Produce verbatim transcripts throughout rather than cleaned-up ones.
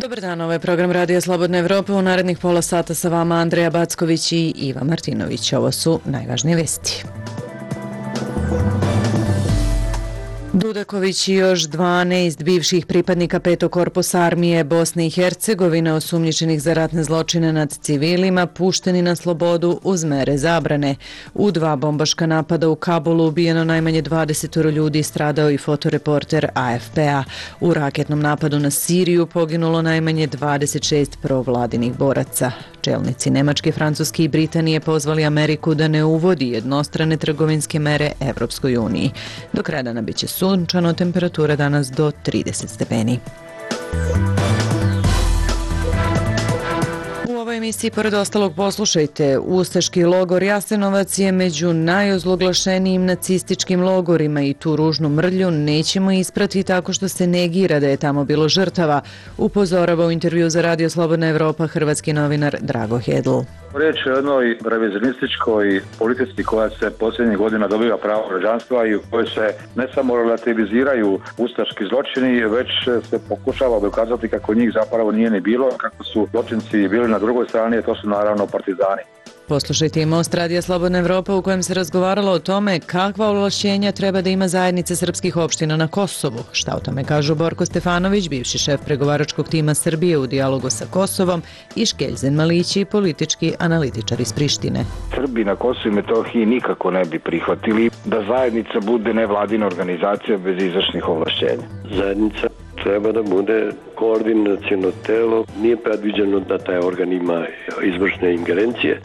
Dobar dan, ovo je program Radija Slobodna Evropa. U narednih pola sata sa vama Andreja Backović i Iva Martinović. Ovo su najvažnije vesti. Dudaković i još dvanaest bivših pripadnika petog korpusa armije Bosne i Hercegovine osumnjičenih za ratne zločine nad civilima pušteni na slobodu uz mere zabrane. U dva bombaška napada u Kabulu ubijeno najmanje dvadeset ljudi, stradao i fotoreporter A F P-a. U raketnom napadu na Siriju poginulo najmanje dvadeset šest provladinih boraca. Čelnici Nemačke, Francuske i Britanije pozvali Ameriku da ne uvodi jednostrane trgovinske mere Evropskoj uniji. Do kraja dana biće sunčano, temperatura danas do trideset stepeni. U ovoj emisiji, pored ostalog, poslušajte: ustaški logor Jasenovac je među najozloglašenijim nacističkim logorima i tu ružnu mrlju nećemo isprati tako što se negira da je tamo bilo žrtava, upozorava u intervju za Radio Slobodna Evropa hrvatski novinar Drago Hedl. Riječ je o jednoj revizionističkoj politici koja se posljednjih godina dobiva pravo građanstva i u kojoj se ne samo relativiziraju ustaški zločini, već se pokušava dokazati kako njih zapravo nije ni bilo, kako su zločinci bili na drugoj strani, a to su naravno partizani. Poslušajte i Most Radija Slobodna Evropa u kojem se razgovaralo o tome kakva ovlašćenja treba da ima zajednica srpskih opština na Kosovu. Šta o tome kažu Borko Stefanović, bivši šef pregovaračkog tima Srbije u dijalogu sa Kosovom, i Škeljzen Malići, politički analitičar iz Prištine. Srbi na Kosovu i Metohiji nikako ne bi prihvatili da zajednica bude nevladina organizacija bez izvršnih ovlašćenja. Zajednica treba da bude koordinaciono telo, nije predviđeno da taj organ ima izvršne ingerencije.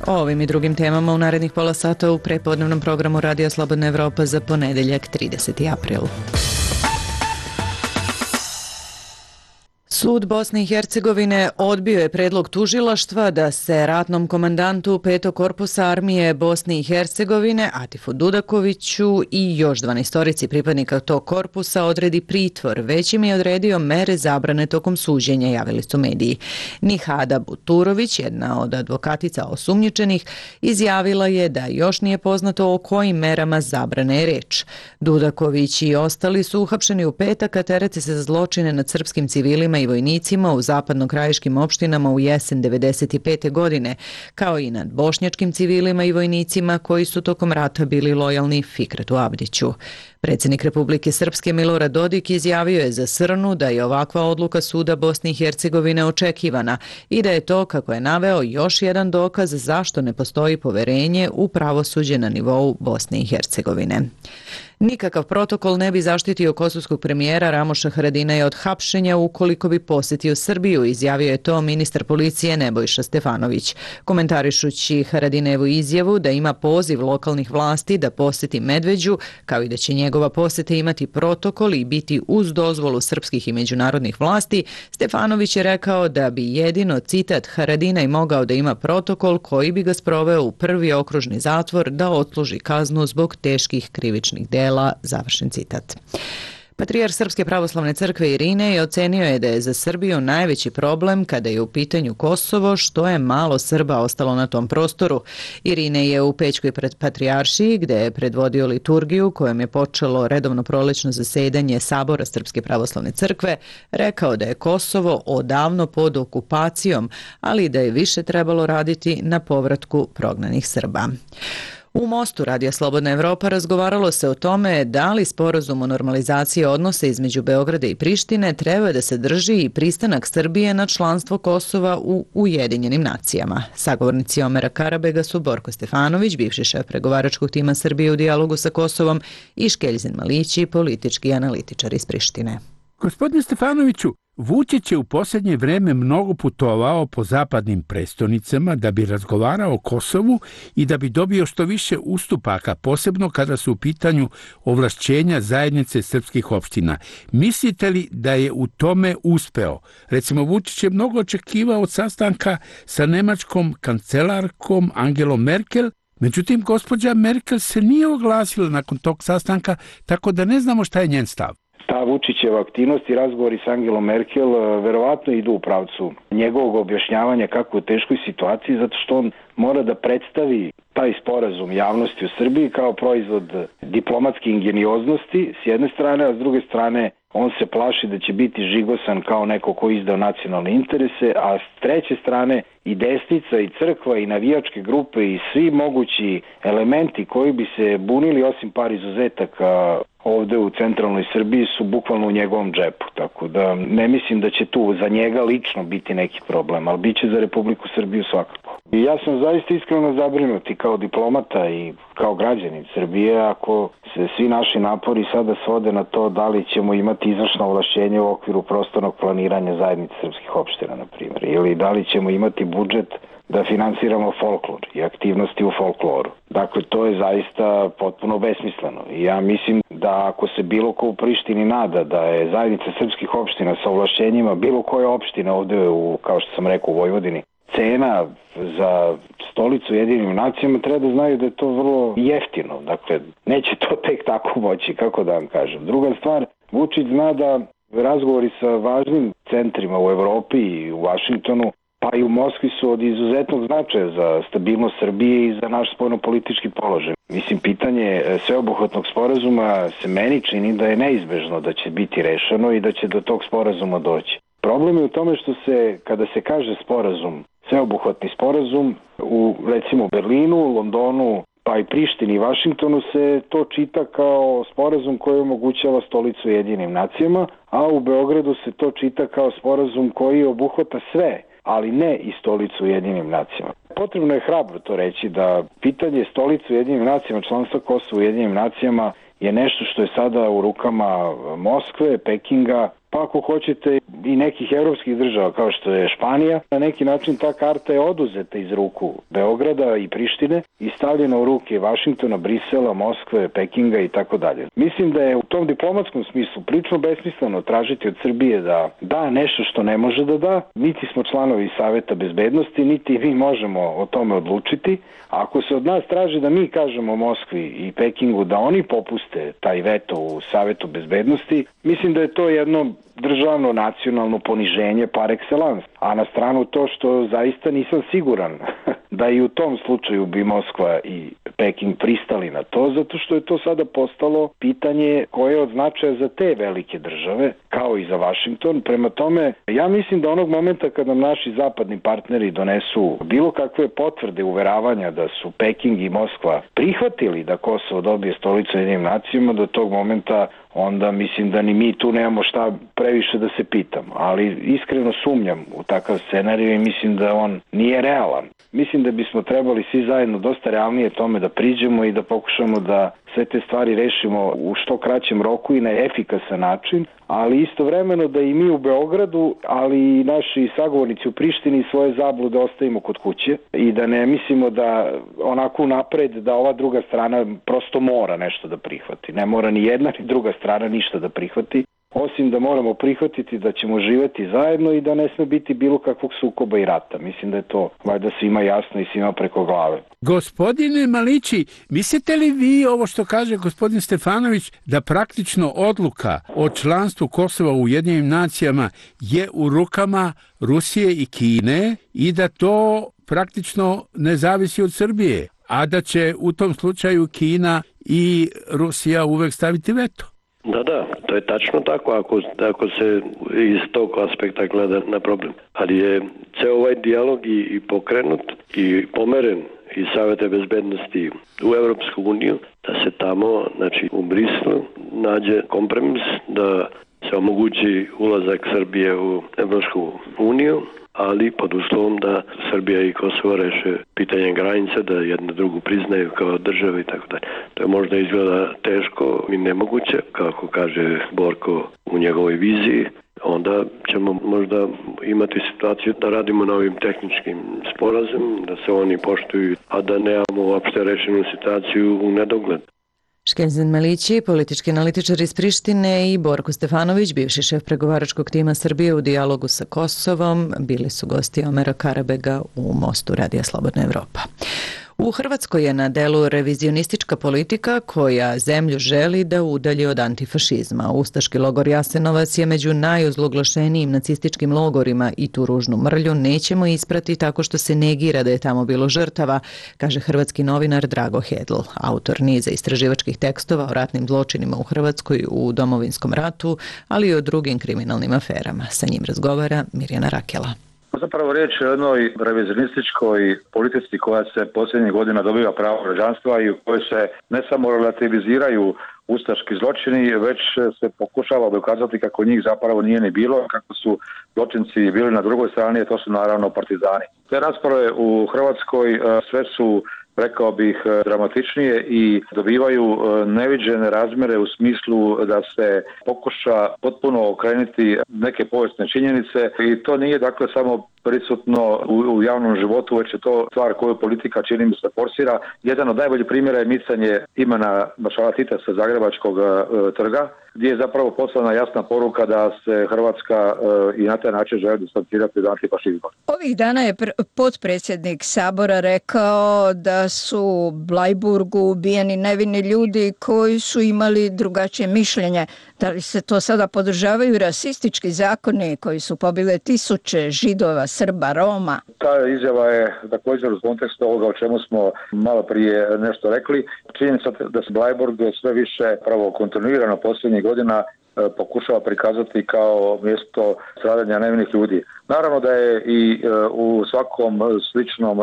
O ovim i drugim temama u narednih pola sata u prepodnevnom programu Radija Slobodna Evropa za ponedeljak trideseti april. Sud Bosne i Hercegovine odbio je predlog tužilaštva da se ratnom komandantu petog korpusa armije Bosne i Hercegovine Atifu Dudakoviću i još dvanaestorici pripadnika tog korpusa odredi pritvor, već im je odredio mere zabrane tokom suđenja, javili su mediji. Nihada Buturović, jedna od advokatica osumnjičenih, izjavila je da još nije poznato o kojim merama zabrane je reč. Dudaković i ostali su uhapšeni u petak, a terete se za zločine nad srpskim civilima i vojnicima u zapadno-krajiškim opštinama u jesen devedeset pete. godine, kao i nad bošnjačkim civilima i vojnicima koji su tokom rata bili lojalni Fikretu Abdiću. Predsjednik Republike Srpske Milorad Dodik izjavio je za Srnu da je ovakva odluka suda Bosne i Hercegovine očekivana i da je to, kako je naveo, još jedan dokaz zašto ne postoji poverenje u pravosuđe na nivou Bosne i Hercegovine. Nikakav protokol ne bi zaštitio kosovskog premijera Ramoša Haradinaja od hapšenja ukoliko bi posjetio Srbiju, izjavio je to ministar policije Nebojša Stefanović. Komentarišući Haradinajevu izjavu da ima poziv lokalnih vlasti da posjeti Medveđu, kao i da će njegova posjeta imati protokol i biti uz dozvolu srpskih i međunarodnih vlasti, Stefanović je rekao da bi jedino, citat, Haradinaj mogao da ima protokol koji bi ga sproveo u prvi okružni zatvor da odsluži kaznu zbog teških krivičnih dela. Završen citat. Patrijarh Srpske pravoslavne crkve Irinej ocenio je da je za Srbiju najveći problem kada je u pitanju Kosovo što je malo Srba ostalo na tom prostoru. Irinej je u Pećkoj patrijaršiji, gde je predvodio liturgiju kojom je počelo redovno prolećno zasedanje Sabora Srpske pravoslavne crkve, rekao da je Kosovo odavno pod okupacijom, ali da je više trebalo raditi na povratku prognanih Srba. U Mostu Radija Slobodna Evropa razgovaralo se o tome da li sporazum o normalizaciji odnosa između Beograda i Prištine treba da se drži i pristanak Srbije na članstvo Kosova u Ujedinjenim nacijama. Sagovornici Omera Karabega su Borko Stefanović, bivši šef pregovaračkog tima Srbije u dijalogu sa Kosovom, i Škeljzen Malići, politički analitičar iz Prištine. Gospodine Stefanoviću, Vučić je u posljednje vreme mnogo putovao po zapadnim prestonicama da bi razgovarao o Kosovu i da bi dobio što više ustupaka, posebno kada su u pitanju ovlašćenja zajednice srpskih opština. Mislite li da je u tome uspeo? Recimo, Vučić je mnogo očekivao od sastanka sa nemačkom kancelarkom Angelom Merkel, međutim, gospođa Merkel se nije oglasila nakon tog sastanka, tako da ne znamo šta je njen stav. Ta Vučićeva aktivnost i razgovori s Angelom Merkel verovatno idu u pravcu njegovog objašnjavanja kako u teškoj situaciji, zato što on mora da predstavi taj sporazum javnosti u Srbiji kao proizvod diplomatske ingenioznosti s jedne strane, a s druge strane on se plaši da će biti žigosan kao neko ko izdao nacionalne interese, a s treće strane i desnica i crkva i navijačke grupe i svi mogući elementi koji bi se bunili osim par izuzetaka ovde u centralnoj Srbiji su bukvalno u njegovom džepu, tako da ne mislim da će tu za njega lično biti neki problem, ali bit će za Republiku Srbiju svakako. I ja sam zaista iskreno zabrinut i kao diplomata i kao građanin Srbije ako se svi naši napori sada svode na to da li ćemo imati izvršno ovlašćenje u okviru prostornog planiranja zajednice srpskih opština, na primjer, ili da li ćemo imati budžet da finansiramo folklor i aktivnosti u folkloru. Dakle, to je zaista potpuno besmisleno. I ja mislim da ako se bilo ko u Prištini nada da je zajednica srpskih opština sa ovlašćenjima bilo koje opštine ovde, u, kao što sam rekao, u Vojvodini, cena za stolicu Ujedinjenim nacijama, treba da znaju da je to vrlo jeftino. Dakle, neće to tek tako moći, kako da vam kažem. Druga stvar, Vučić zna da razgovori sa važnim centrima u Evropi i u Vašingtonu, pa i u Moskvi su od izuzetnog značaja za stabilnost Srbije i za naš spoljnopolitički položaj. Mislim, pitanje sveobuhvatnog sporazuma se meni čini da je neizbežno da će biti rešeno i da će do tog sporazuma doći. Problem je u tome što se, kada se kaže sporazum, sveobuhvatni sporazum, u recimo Berlinu, Londonu, pa i Prištini i Vašingtonu se to čita kao sporazum koji omogućava stolicu Ujedinjenim nacijama, a u Beogradu se to čita kao sporazum koji obuhvata sve, ali ne i stolicu Ujedinjenim nacijama. Potrebno je hrabro to reći da pitanje stolice Ujedinjenim nacijama, članstva Kosova u Ujedinjenim nacijama je nešto što je sada u rukama Moskve, Pekinga, pa ako hoćete i nekih evropskih država kao što je Španija. Na neki način ta karta je oduzeta iz ruku Beograda i Prištine i stavljena u ruke Vašingtona, Brisela, Moskve, Pekinga i tako dalje. Mislim da je u tom diplomatskom smislu prilično besmisleno tražiti od Srbije da da nešto što ne može da da. Niti smo članovi Saveta bezbednosti, niti mi možemo o tome odlučiti. A ako se od nas traži da mi kažemo Moskvi i Pekingu da oni popuste taj veto u Savetu bezbednosti, mislim da je to jedno državno nacionalno poniženje par excellence. A na stranu to što zaista nisam siguran da i u tom slučaju bi Moskva i Peking pristali na to, zato što je to sada postalo pitanje koje je od značaja za te velike države, kao i za Vašington. Prema tome, ja mislim da onog momenta kada nam naši zapadni partneri donesu bilo kakve potvrde uveravanja da su Peking i Moskva prihvatili da Kosovo dobije stolicu Ujedinjenim nacijama, do tog momenta onda mislim da ni mi tu nemamo šta previše da se pitamo. Ali iskreno sumnjam u takav scenarij i mislim da on nije realan. Mislim da bismo trebali svi zajedno dosta realnije tome da priđemo i da pokušamo da sve te stvari rešimo u što kraćem roku i na efikasan način, ali istovremeno da i mi u Beogradu, ali i naši sagovornici u Prištini svoje zablude ostavimo kod kuće i da ne mislimo da onako napred da ova druga strana prosto mora nešto da prihvati. Ne mora ni jedna ni druga strana ništa da prihvati, osim da moramo prihvatiti da ćemo živeti zajedno i da ne sme biti bilo kakvog sukoba i rata. Mislim da je to valjda svima jasno i svima preko glave. Gospodine Malići, mislite li vi ovo što kaže gospodin Stefanović da praktično odluka o članstvu Kosova u Ujedinjenim nacijama je u rukama Rusije i Kine i da to praktično ne zavisi od Srbije, a da će u tom slučaju Kina i Rusija uvek staviti veto? Da, da, to je tačno tako ako, ako se iz tog aspekta gleda na problem. Ali je ceo ovaj dijalog i, i pokrenut i pomeren iz Saveta bezbednosti u Evropsku uniju, da se tamo, znači u Brislu, nađe kompromis da se omogući ulazak Srbije u Evropsku uniju, ali pod uslovom da Srbija i Kosovo reše pitanje granice, da jedno drugu priznaju kao države i tako dalje. To je možda izgleda teško i nemoguće, kako kaže Borko u njegovoj viziji. Onda ćemo možda imati situaciju da radimo na ovim tehničkim sporazumima, da se oni poštuju, a da nemamo uopšte rešenu situaciju u nedogled. Škenzen Malići, politički analitičar iz Prištine, i Borko Stefanović, bivši šef pregovaračkog tima Srbije u dijalogu sa Kosovom, bili su gosti Omera Karabega u Mostu Radija Slobodna Evropa. U Hrvatskoj je na delu revizionistička politika koja zemlju želi da udalji od antifašizma. Ustaški logor Jasenovac je među najozloglašenijim nacističkim logorima i tu ružnu mrlju nećemo isprati tako što se negira da je tamo bilo žrtava, kaže hrvatski novinar Drago Hedl, autor niza istraživačkih tekstova o ratnim zločinima u Hrvatskoj u Domovinskom ratu, ali i o drugim kriminalnim aferama. Sa njim razgovara Mirjana Rakela. Zapravo riječ je o jednoj revizionističkoj politici koja se posljednjih godina dobiva pravo građanstva i u kojoj se ne samo relativiziraju ustaški zločini, već se pokušava dokazati kako njih zapravo nije ni bilo, kako su zločinci bili na drugoj strani, a to su naravno partizani. Te rasprave u Hrvatskoj sve su, rekao bih, dramatičnije i dobivaju neviđene razmjere u smislu da se pokuša potpuno okrenuti neke povijesne činjenice i to nije dakle samo prisutno u, u javnom životu, već je to stvar koju politika čini mi se forsira. Jedan od najboljih primjera je micanje imena maršala Tita sa Zagrebačkog e, trga, gdje je zapravo poslana jasna poruka da se Hrvatska e, i na taj način želi distancirati od antifašizma. Ovih dana je pr- potpredsjednik Sabora rekao da su u Blajburgu ubijeni nevini ljudi koji su imali drugačije mišljenje. Da li se to sada podržavaju rasistički zakoni koji su pobile tisuće Židova, Srba, Roma? Ta izjava je također u kontekstu ovoga o čemu smo malo prije nešto rekli. Činjenica da se Blajburg sve više pravo kontinuirano posljednjih godina pokušava prikazati kao mjesto stradanja nevinih ljudi. Naravno da je i u svakom sličnom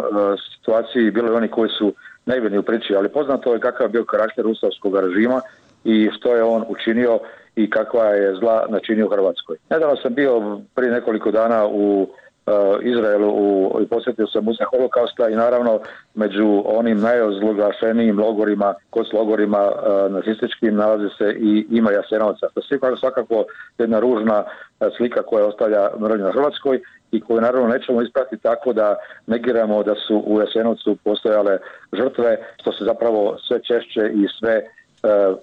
situaciji bilo oni koji su nevini u priči, ali poznato je kakav je bio karakter ustaškog režima i što je on učinio i kakva je zla načinio u Hrvatskoj. Nedavno sam bio prije nekoliko dana u uh, Izraelu u, i posjetio sam muzej Holokausta i naravno među onim najozloglašenijim logorima, konclogorima uh, nacističkim nalazi se i ima Jasenovca. To je svakako jedna ružna uh, slika koja ostavlja mrlju na Hrvatskoj i koju naravno nećemo ispratiti tako da negiramo da su u Jasenovcu postojale žrtve, što se zapravo sve češće i sve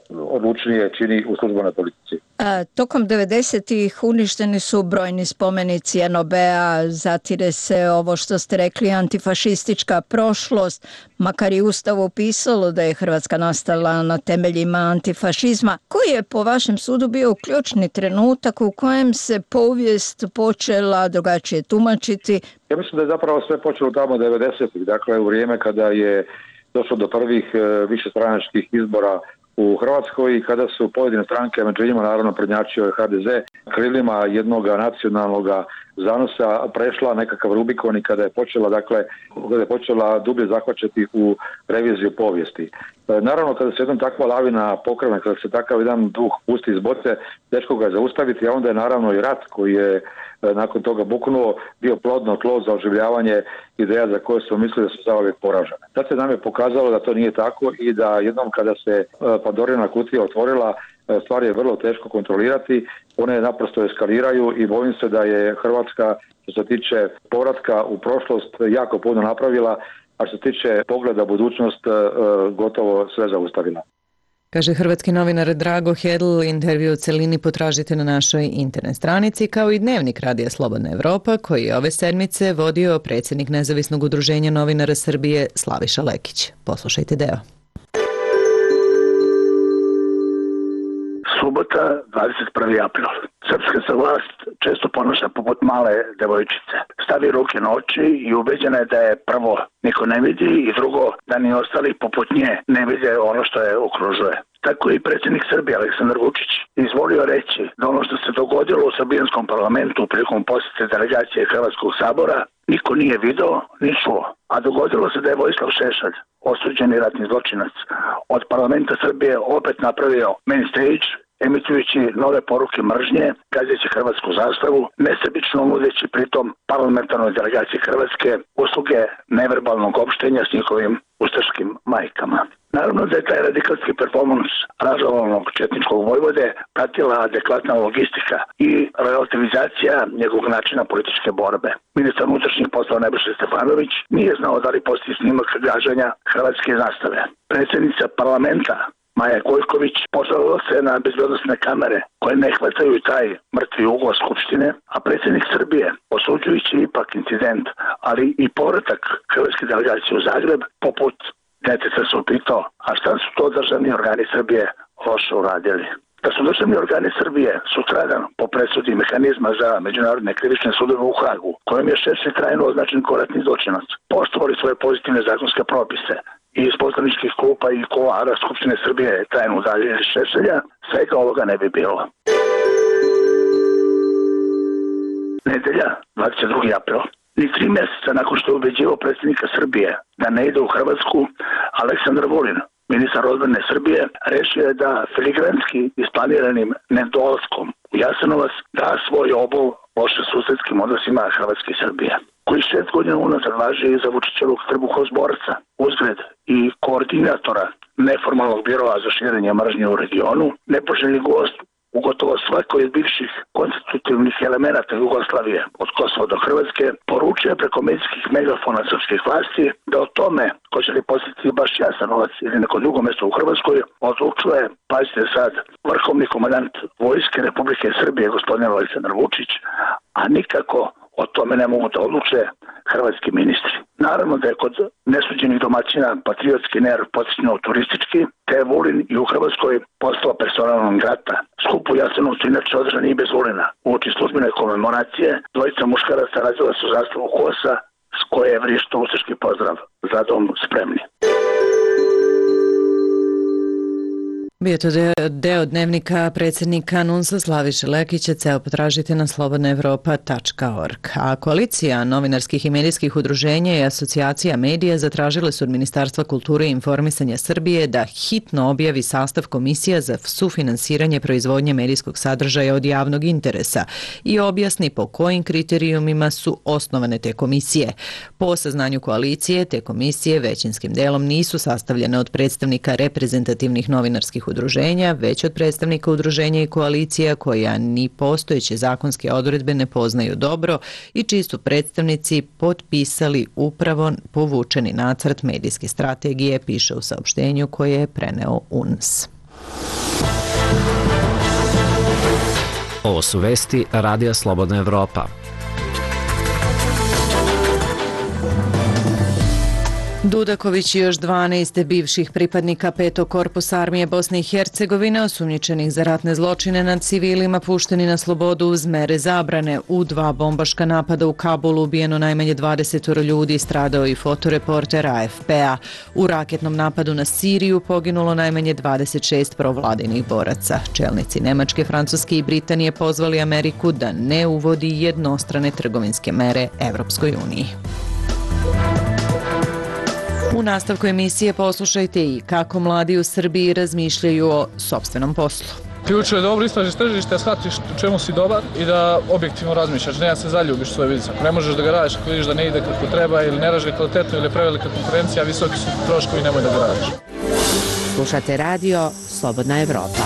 odlučnije čini u službenoj politici. A, tokom devedesetih uništeni su brojni spomenici en o be-a, zatire se ovo što ste rekli antifašistička prošlost, makar i Ustavu pisalo da je Hrvatska nastala na temeljima antifašizma. Koji je po vašem sudu bio ključni trenutak u kojem se povijest počela drugačije tumačiti? Ja mislim da je zapravo sve počelo tamo devedesetih, dakle u vrijeme kada je došlo do prvih višestranačkih izbora u Hrvatskoj i kada su pojedine stranke, među njima naravno prednjačio je ha de ze, krilima jednog nacionalnog zanosa prešla nekakav Rubikon i kada je počela, dakle, kada je počela dublje zahvaćati u reviziju povijesti. Naravno, kada se jednom takva lavina pokrene, kada se takav jedan duh pusti iz boce, teško ga je zaustaviti, a onda je naravno i rat koji je nakon toga buknuo, bio plodno tlo za oživljavanje ideja za koje smo mislili da su zauvijek poražene. Sad se nam je pokazalo da to nije tako i da jednom kada se Pandorina kutija otvorila, stvar je vrlo teško kontrolirati, one naprosto eskaliraju i bojim se da je Hrvatska što se tiče povratka u prošlost jako puno napravila, a što se tiče pogleda budućnost gotovo sve zaustavila. Kaže hrvatski novinar Drago Hedl, intervju u celini potražite na našoj internet stranici, kao i dnevnik Radija Slobodna Evropa, koji je ove sedmice vodio predsjednik Nezavisnog udruženja novinara Srbije Slaviša Lekić. Poslušajte deo. Subota, dvadeset prvi april. Srpska se vlast često ponaša poput male devojčice. Stavi ruke na oči i ubeđena je da je prvo niko ne vidi i drugo da ni ostali poput nje ne vide ono što je okružuje. Tako i predsjednik Srbije Aleksandar Vučić izvolio reći da ono što se dogodilo u srbijanskom parlamentu prilikom posjete delegacije Hrvatskog sabora niko nije video ni čuo. A dogodilo se da je Vojislav Šešelj, osuđeni ratni zločinac, od parlamenta Srbije opet napravio main stage, emitujući nove poruke mržnje, gazeći hrvatsku zastavu, nesebično nudeći pritom parlamentarnoj delegaciji Hrvatske usluge neverbalnog opštenja s njihovim ustaškim majkama. Naravno da je taj radikalski performans ražalovanog četničkog vojvode pratila adekvatna logistika i relativizacija njegovog načina političke borbe. Ministar unutrašnjih poslova Nebojša Stefanović nije znao da li postoji snimak gaženja hrvatske zastave. Predsjednica parlamenta Maja Gojković pozvala se na bezbednosne kamere koje ne hvataju taj mrtvi ugao Skupštine, a predsjednik Srbije, osuđujući ipak incident, ali i povratak hrvatske delegacije u Zagreb, poput deteta se upitao, a šta su to državni organi Srbije loše uradili? Da su državni organi Srbije sutradan po presudi mehanizma za međunarodne krivične sudove u Hagu, kojom je Šešelj trajno označen kao ratni zločinac, poštovali svoje pozitivne zakonske propise i iz poslaničkih klupa i kuloara Skupštine Srbije trajno udaljili Šešelja, svega ovoga ne bi bilo. Nedelja, dvadeset drugi april. Ni tri mjeseca nakon što je ubeđivao predsjednika Srbije da ne ide u Hrvatsku, Aleksandar Vulin, ministar odbrane Srbije, rešio je da filigranski isplaniranim nedolaskom u Jasenovac da svoj obol loše susedskim odnosima Hrvatske i Srbije, koji šest godina unazad važi za Vučićevog trbuhozborca, uzgred i koordinatora neformalnog biroa za širenje mržnje u regionu, nepoželjni gost u gotovo svakoj od bivših konstitutivnih elemenata Jugoslavije, od Kosova do Hrvatske, poručuje preko medijskih megafona srpskih vlasti da o tome ko će li posjetiti baš Jasenovac ili neko drugo mjesto u Hrvatskoj odlučuje, pazite sad, vrhovni komandant Vojske Republike Srbije gospodin Aleksandar Vučić, a nikako o tome ne mogu da odluče hrvatski ministri. Naravno da je kod nesuđenih domaćina patriotski nerv podsjećano turistički, te je Vulin i u Hrvatskoj postao personalnom grata. Skup u Jasenovcu inače održan i bez Vulina. Uoči službene komemoracije dvojica muškaraca razvila su zastavu Kosa, s koje je vrišto ustaški pozdrav za dom spremni. Bio to deo dnevnika predsjednika NUNS-a Slaviše Lekića, ceo potražite na slobodna evropa tačka org. A koalicija novinarskih i medijskih udruženja i asocijacija medija zatražile su od Ministarstva kulture i informisanja Srbije da hitno objavi sastav komisija za sufinansiranje proizvodnje medijskog sadržaja od javnog interesa i objasni po kojim kriterijumima su osnovane te komisije. Po saznanju koalicije, te komisije većinskim delom nisu sastavljene od predstavnika reprezentativnih novinarskih udruženja, već od predstavnika udruženja i koalicija koja ni postojeće zakonske odredbe ne poznaju dobro i čiji su predstavnici potpisali upravo povučeni nacrt medijske strategije, piše u saopštenju koje je preneo U N S. Ovo su vesti Radija Slobodna Evropa. Dudaković i još dvanaest bivših pripadnika petog korpusa armije Bosne i Hercegovine osumnjičenih za ratne zločine nad civilima pušteni na slobodu uz mere zabrane. U dva bombaška napada u Kabulu ubijeno najmanje dvadeset ljudi, stradao i fotoreporter A F P-a. U raketnom napadu na Siriju poginulo najmanje dvadeset šest provladinih boraca. Čelnici Nemačke, Francuske i Britanije pozvali Ameriku da ne uvodi jednostrane trgovinske mere Evropskoj uniji. U nastavku emisije poslušajte i kako mladi u Srbiji razmišljaju o sopstvenom poslu. Ključno je dobro istražiš tržište, da shvatiš u čemu si dobar i da objektivno razmišljaš, ne da se zaljubiš u svoj biznis. Ako ne možeš da ga radiš, ako vidiš da ne ide kako treba ili ne radi kvalitetno ili je prevelika konkurencija, visoki su troškovi, nemoj da ga radiš. Slušate radio Slobodna Evropa.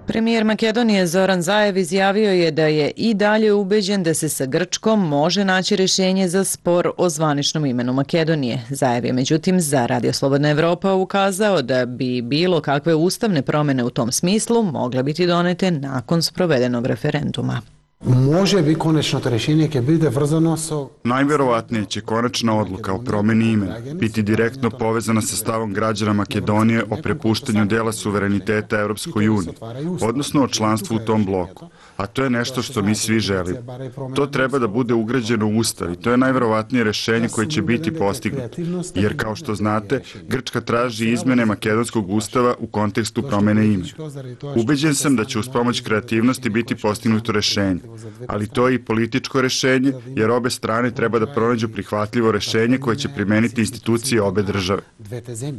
Premijer Makedonije Zoran Zaev izjavio je da je i dalje ubeđen da se sa Grčkom može naći rješenje za spor o zvaničnom imenu Makedonije. Zaev je međutim za Radio Slobodna Evropa ukazao da bi bilo kakve ustavne promjene u tom smislu mogle biti donete nakon sprovedenog referenduma. Može bi konačno to rješenje će biti vrzano sa... Najvjerovatnije će konačna odluka o promjeni imena biti direktno povezana sa stavom građana Makedonije o prepuštanju dela suvereniteta Europskoj uniji, odnosno o članstvu u tom bloku. A to je nešto što mi svi želimo. To treba da bude ugrađeno u Ustav i to je najvjerovatnije rješenje koje će biti postignuto. Jer, kao što znate, Grčka traži izmjene makedonskog ustava u kontekstu promjene imena. Ubeđen sam da će uz pomoć kreativnosti biti postignuto rješenje. Ali to je i političko rješenje, jer obe strane treba da pronađu prihvatljivo rješenje koje će primeniti institucije obe države.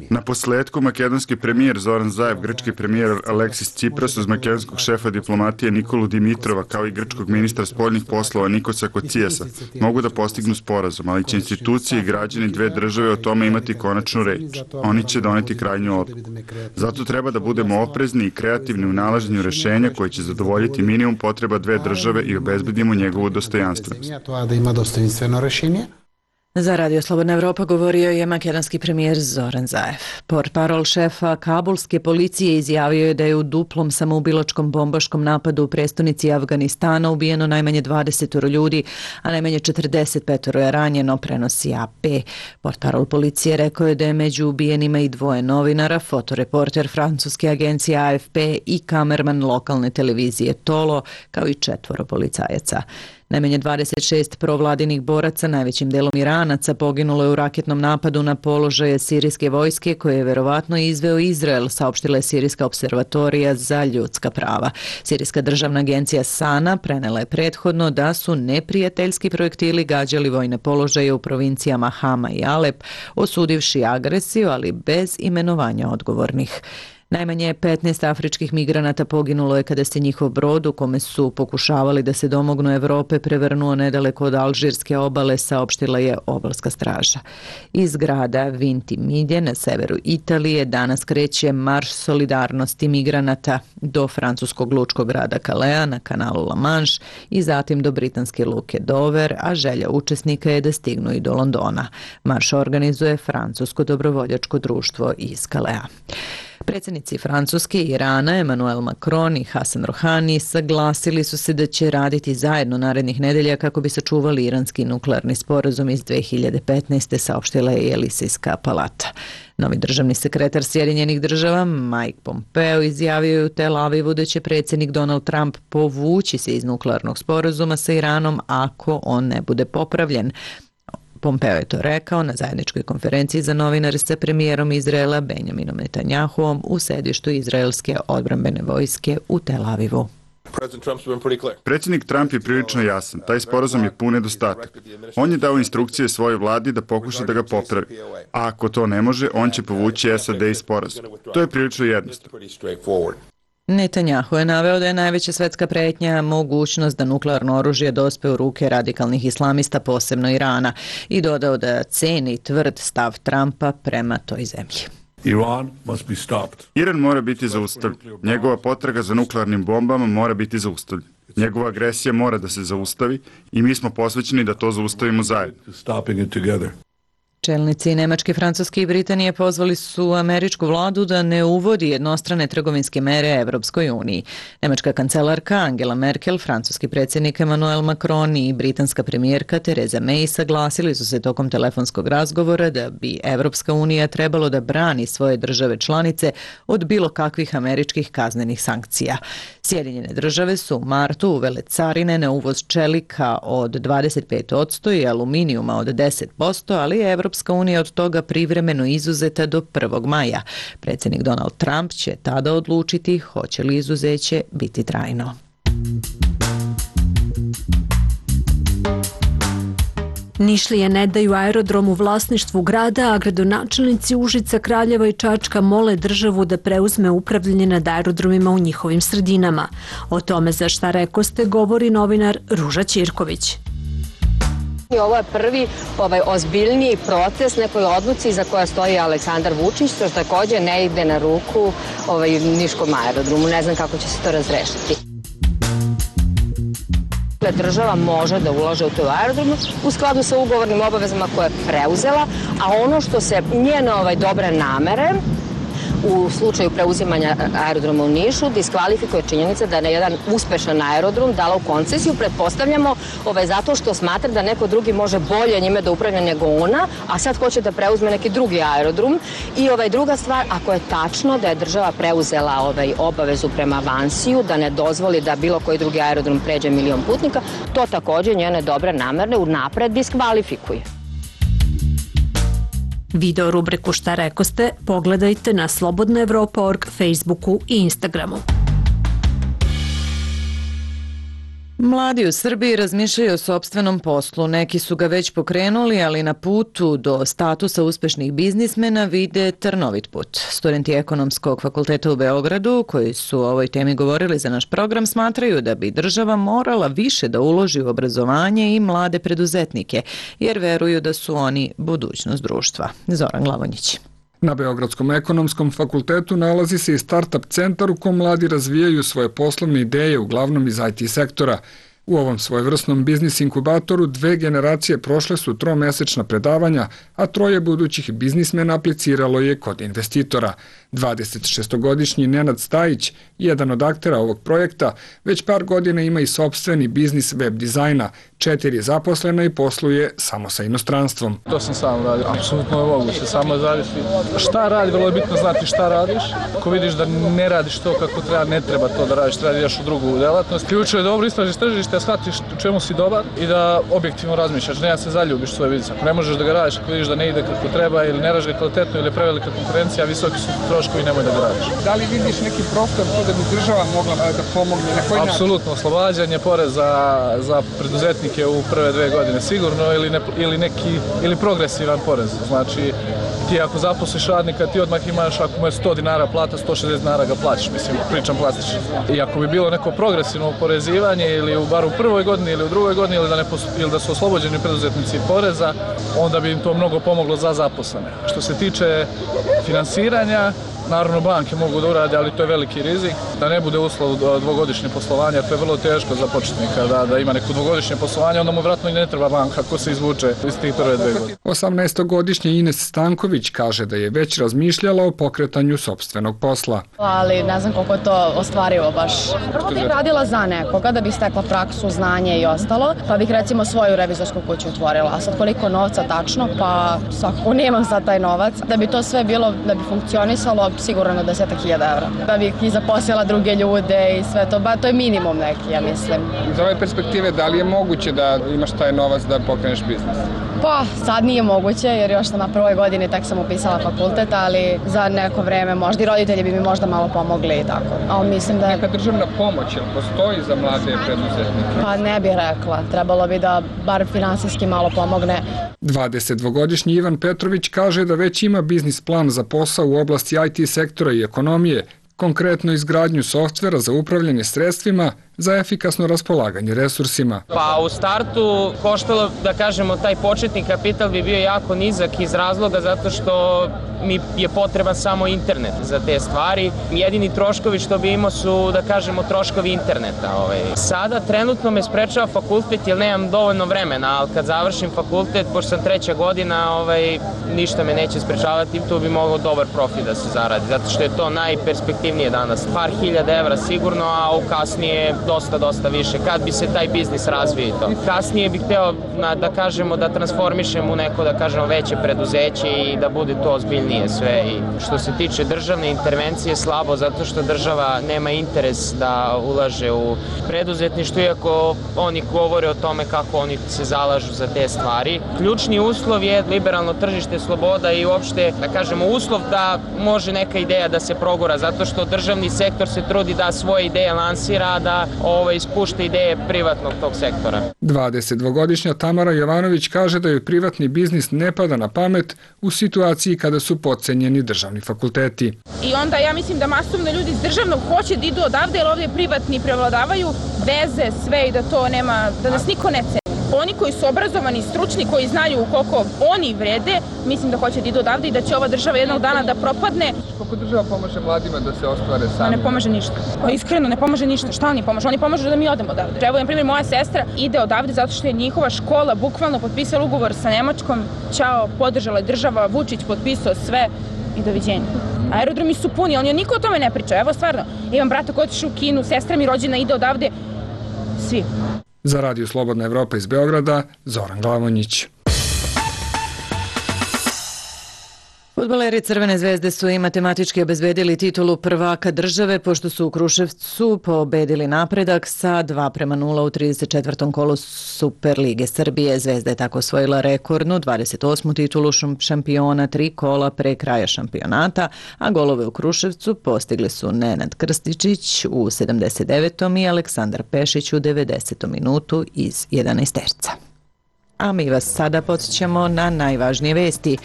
Na posledku, makedonski premijer Zoran Zaev, grčki premijer Aleksis Tsipras uz makedonskog šefa diplomatije Nikolu Dimitrova kao i grčkog ministra spoljnih poslova Nikosa Kocijasa mogu da postignu sporazum, ali će institucije i građani dve države o tome imati konačnu reč. Oni će doneti krajnju odluku. Zato treba da budemo oprezni i kreativni u nalaženju rješenja koje će zadovoljiti minimum potreba dve države i obezbedimo njegovu dostojanstvenost. Za Radio Slobodna Evropa govorio je makedonski premijer Zoran Zaev. Portparol šefa kabulske policije izjavio je da je u duplom samoubilačkom bombaškom napadu u prestonici Afganistana ubijeno najmanje dvadeset ljudi, a najmanje četrdeset pet je ranjeno, prenosi A P. Portparol policije rekao je da je među ubijenima i dvoje novinara, fotoreporter francuske agencije A F P i kamerman lokalne televizije Tolo, kao i četvoro policajaca. Najmanje dvadeset šest provladinih boraca, najvećim delom Iranaca, poginulo je u raketnom napadu na položaje sirijske vojske koje je verovatno izveo Izrael, saopštila je Sirijska observatorija za ljudska prava. Sirijska državna agencija Sana prenela je prethodno da su neprijateljski projektili gađali vojne položaje u provincijama Hama i Alep, osudivši agresiju, ali bez imenovanja odgovornih. Najmanje petnaest afričkih migranata poginulo je kada se njihov brod u kome su pokušavali da se domognu Evrope prevrnuo nedaleko od alžirske obale, saopštila je obalska straža. Iz grada Vintimiglia na severu Italije danas kreće marš solidarnosti migranata do francuskog lučkog grada Calea na kanalu La Manche i zatim do britanske luke Dover, a želja učesnika je da stignu i do Londona. Marš organizuje francusko dobrovoljačko društvo iz Calea. Predsjednici Francuske i Irana, Emmanuel Macron i Hassan Rouhani, saglasili su se da će raditi zajedno narednih nedelja kako bi sačuvali iranski nuklearni sporazum iz dve hiljade petnaeste. saopštila je Elisejska palata. Novi državni sekretar Sjedinjenih država Mike Pompeo izjavio je u Tel Avivu da će predsjednik Donald Trump povući se iz nuklearnog sporazuma sa Iranom ako on ne bude popravljen. Pompeo je to rekao na zajedničkoj konferenciji za novinare sa premijerom Izraela Benjaminom Netanjahuom u sedištu izraelske odbrambene vojske u Tel Avivu. Predsjednik Trump je prilično jasan. Taj sporazum je pun nedostatak. On je dao instrukcije svojoj vladi da pokuša da ga popravi. A ako to ne može, on će povući S A D iz sporazuma. To je prilično jednostavno. Netanjahu je naveo da je najveća svetska pretnja mogućnost da nuklearno oružje dospe u ruke radikalnih islamista, posebno Irana, i dodao da ceni tvrd stav Trumpa prema toj zemlji. Iran mora biti zaustavljen. Njegova potraga za nuklearnim bombama mora biti zaustavljena. Njegova agresija mora da se zaustavi i mi smo posvećeni da to zaustavimo zajedno. Čelnici Nemačke, Francuske i Britanije pozvali su američku vladu da ne uvodi jednostrane trgovinske mere Evropskoj uniji. Nemačka kancelarka Angela Merkel, francuski predsjednik Emmanuel Macron i britanska premijerka Theresa May saglasili su se tokom telefonskog razgovora da bi Evropska unija trebalo da brani svoje države članice od bilo kakvih američkih kaznenih sankcija. Sjedinjene države su u martu uvele carine na uvoz čelika od dvadeset pet posto i aluminijuma od deset posto, ali je Evropska unija od toga privremeno izuzeta do prvog maja. Predsjednik Donald Trump će tada odlučiti hoće li izuzeće biti trajno. Nišlije ne daju aerodrom u vlasništvu grada, a gradonačelnici Užica, Kraljeva i Čačka mole državu da preuzme upravljanje nad aerodromima u njihovim sredinama. O tome za Šta rekoste govori novinar Ruža Ćirković. Ovo je prvi ovaj, ozbiljniji proces nekoj odluci za koja stoji Aleksandar Vučić, što također ne ide na ruku ovaj, Niškom aerodromu. Ne znam kako će se to razrešiti. Država može da ulože u to aerodromu u skladu sa ugovornim obavezama koje je preuzela, a ono što se njene ovaj, dobre namere u slučaju preuzimanja aerodroma u Nišu diskvalifikuje činjenica da je na jedan uspešan aerodrom dala u koncesiju, pretpostavljamo ovaj, zato što smatra da neko drugi može bolje njime da upravlja nego ona, a sad hoće da preuzme neki drugi aerodrom. I ovaj, druga stvar, ako je tačno da je država preuzela ovaj, obavezu prema Avansiju, da ne dozvoli da bilo koji drugi aerodrom pređe milion putnika, to također njene dobre namerne unapred diskvalifikuje. Video rubriku Šta rekoste pogledajte na slobodna evropa tačka org, Facebooku i Instagramu. Mladi u Srbiji razmišljaju o sopstvenom poslu. Neki su ga već pokrenuli, ali na putu do statusa uspešnih biznismena vide trnovit put. Studenti Ekonomskog fakulteta u Beogradu, koji su o ovoj temi govorili za naš program, smatraju da bi država morala više da uloži u obrazovanje i mlade preduzetnike, jer veruju da su oni budućnost društva. Zoran Glavonjić. Na Beogradskom ekonomskom fakultetu nalazi se i start-up centar u kom mladi razvijaju svoje poslovne ideje, uglavnom iz I T sektora. U ovom svojevrsnom biznis inkubatoru dve generacije prošle su tromesečna predavanja, a troje budućih biznismena apliciralo je kod investitora. dvadesetšestogodišnji Nenad Stajić, jedan od aktera ovog projekta, već par godina ima i sopstveni biznis web dizajna, četiri zaposlena i posluje samo sa inostranstvom. To sam sam radio, apsolutno je moguće, samo zavisi šta radi, vrlo je bitno znati šta radiš. Ako vidiš da ne radiš to kako treba, ne treba to da radiš, treba da ideš u drugu delatnost. Ključno je dobro istražiš tržište, da shvatiš u čemu si dobar i da objektivno razmišljaš, ne da se zaljubiš u svoj biznis. Ako ne možeš da ga radiš, ako vidiš da ne ide kako treba ili ne radiš ga kvalitetno ili je prevelika konkurencija, visoki su troškovi, nemoj da ga radiš. Da li vidiš neki prostor da bi država mogla da pomogne? Na koji način? Apsolutno, oslobađanje poreza za preduzetnike u prve dve godine sigurno ili, ne, ili neki ili progresivan porez. Znači, ti ako zaposliš radnika, ti odmah imaš, ako mu je sto dinara plata, sto šezdeset dinara ga plaćaš, mislim, pričam plastično. I ako bi bilo neko progresivno oporezivanje ili u, bar u prvoj godini ili u drugoj godini ili da, ne, ili da su oslobođeni preduzetnici poreza, onda bi im to mnogo pomoglo za zaposlene. Što se tiče finansiranja, naravno banke mogu da urade, ali to je veliki rizik, da ne bude uslov dvogodišnje poslovanja, to je vrlo teško za početnika, da, da ima neko dvogodišnje poslovanje, onda mu vratno i ne treba banka ako se izvuče iz tih prve dve godine. osamnaestogodišnja Ines Stanković kaže da je već razmišljala o pokretanju sopstvenog posla. Ali ne znam koliko je to ostvarivo baš. Prvo bih radila za nekoga da bih stekla praksu, znanje i ostalo, pa bih recimo svoju revizorsku kuću otvorila. A sad koliko novca tačno, pa svakako nemam sad taj novac. Da bi to sve bilo, da bi funkcionisalo, sigurno na desetak hiljada evra. Da bih i zaposlila druge ljude i sve to, ba to je minimum neki, ja mislim. Iz ove perspektive, da li je moguće da imaš taj novac da pokreneš biznis? Pa, sad nije moguće, jer još sam na prvoj godini, tek sam upisala fakultet, ali za neko vreme možda i roditelji bi mi možda malo pomogli i tako. Ali mislim da... Neka državna pomoć, jel postoji za mlade preduzetnike? Pa ne bih rekla, trebalo bi da bar finansijski malo pomogne. dvadesetdvogodišnji Ivan Petrović kaže da već ima biznis plan za posao u oblasti I T sektora i ekonomije, konkretno izgradnju softvera za upravljanje sredstvima za efikasno raspolaganje resursima. Pa u startu koštalo, da kažemo, taj početni kapital bi bio jako nizak iz razloga zato što mi je potreban samo internet za te stvari. Jedini troškovi što bi imao su, da kažemo, troškovi interneta. Ovaj. Sada trenutno me sprečava fakultet jer nemam dovoljno vremena, ali kad završim fakultet, pošto sam treća godina, ovaj, ništa me neće sprečavati, tu bi mogao dobar profit da se zaradi, zato što je to najperspektivnije danas. Par hiljada evra sigurno, a u kasnije dosta, dosta više, kad bi se taj biznis razvio i to. Kasnije bih hteo, da kažemo, da transformišem u neko, da kažemo, veće preduzeće i da bude to ozbiljnije sve. I što se tiče državne intervencije, slabo, zato što država nema interes da ulaže u preduzetništvo, iako oni govore o tome kako oni se zalažu za te stvari. Ključni uslov je liberalno tržište, sloboda i uopšte, da kažemo, uslov da može neka ideja da se progura, zato što državni sektor se trudi da svoje ideje lansira, da ovo ispušta ideje privatnog tog sektora. dvadesetdvogodišnja Tamara Jovanović kaže da joj privatni biznis ne pada na pamet u situaciji kada su potcenjeni državni fakulteti. I onda ja mislim da masovno ljudi iz državnog hoće da idu odavde, jer ovdje privatni prevladavaju veze, sve i da to nema, da nas niko ne ceni. Oni koji su obrazovani, stručni, koji znaju koliko oni vrede, mislim da hoće da idu odavde i da će ova država jednog dana da propadne. Kako država pomaže mladima da se ostvare sami? Ne pomaže ništa. Pa iskreno, ne pomaže ništa. Šta oni pomažu? Oni pomažu da mi odemo odavde. Evo, na primjer, moja sestra ide odavde zato što je njihova škola bukvalno potpisala ugovor sa Nemačkom. Ćao, podržala je država, Vučić potpisao sve i doviđenja. Aerodromi su puni, ali niko o tome ne priča. Evo, stvarno, imam brata koji otišao u Kinu, sestra mi rođena ide odavde. Svi. Za Radio Slobodna Evropa iz Beograda, Zoran Glavonjić. Fudbaleri Crvene zvezde su i matematički obezbedili titulu prvaka države pošto su u Kruševcu pobedili Napredak sa dva prema nula u trideset četvrtom kolu Superlige Srbije. Zvezda je tako osvojila rekordnu dvadeset osmu titulu šampiona tri kola pre kraja šampionata, a golove u Kruševcu postigli su Nenad Krstičić u sedamdeset devetom i Aleksandar Pešić u devedesetom minutu iz jedanaesterca. A mi vas sada podsjećamo na najvažnije vesti.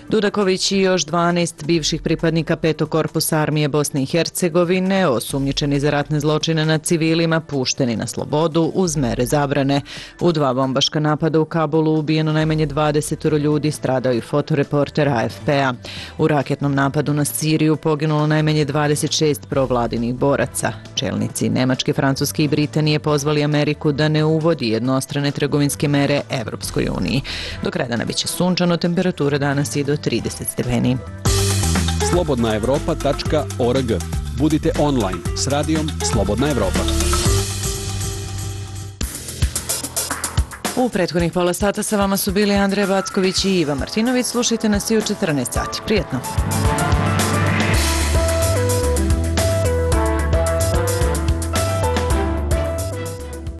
Dudaković i još dvanaest bivših pripadnika petog korpusa armije Bosne i Hercegovine, osumnjičeni za ratne zločine nad civilima, pušteni na slobodu uz mere zabrane. U dva bombaška napada u Kabulu ubijeno najmanje dvadeset ljudi, stradao i fotoreporter A F P-a. U raketnom napadu na Siriju poginulo najmanje dvadeset šest provladinih boraca. Čelnici Nemačke, Francuske i Britanije pozvali Ameriku da ne uvodi jednostrane trgovinske mere Evropskoj uniji. Do kraja dana biće sunčano, temperatura danas je do trideset stepeni. slobodna evropa tačka org. Budite online s radijom Slobodna Evropa. U prethodnih pola sata sa vama su bili Andreja Backović i Iva Martinović. Slušajte nas i u četrnaest sati. Prijetno!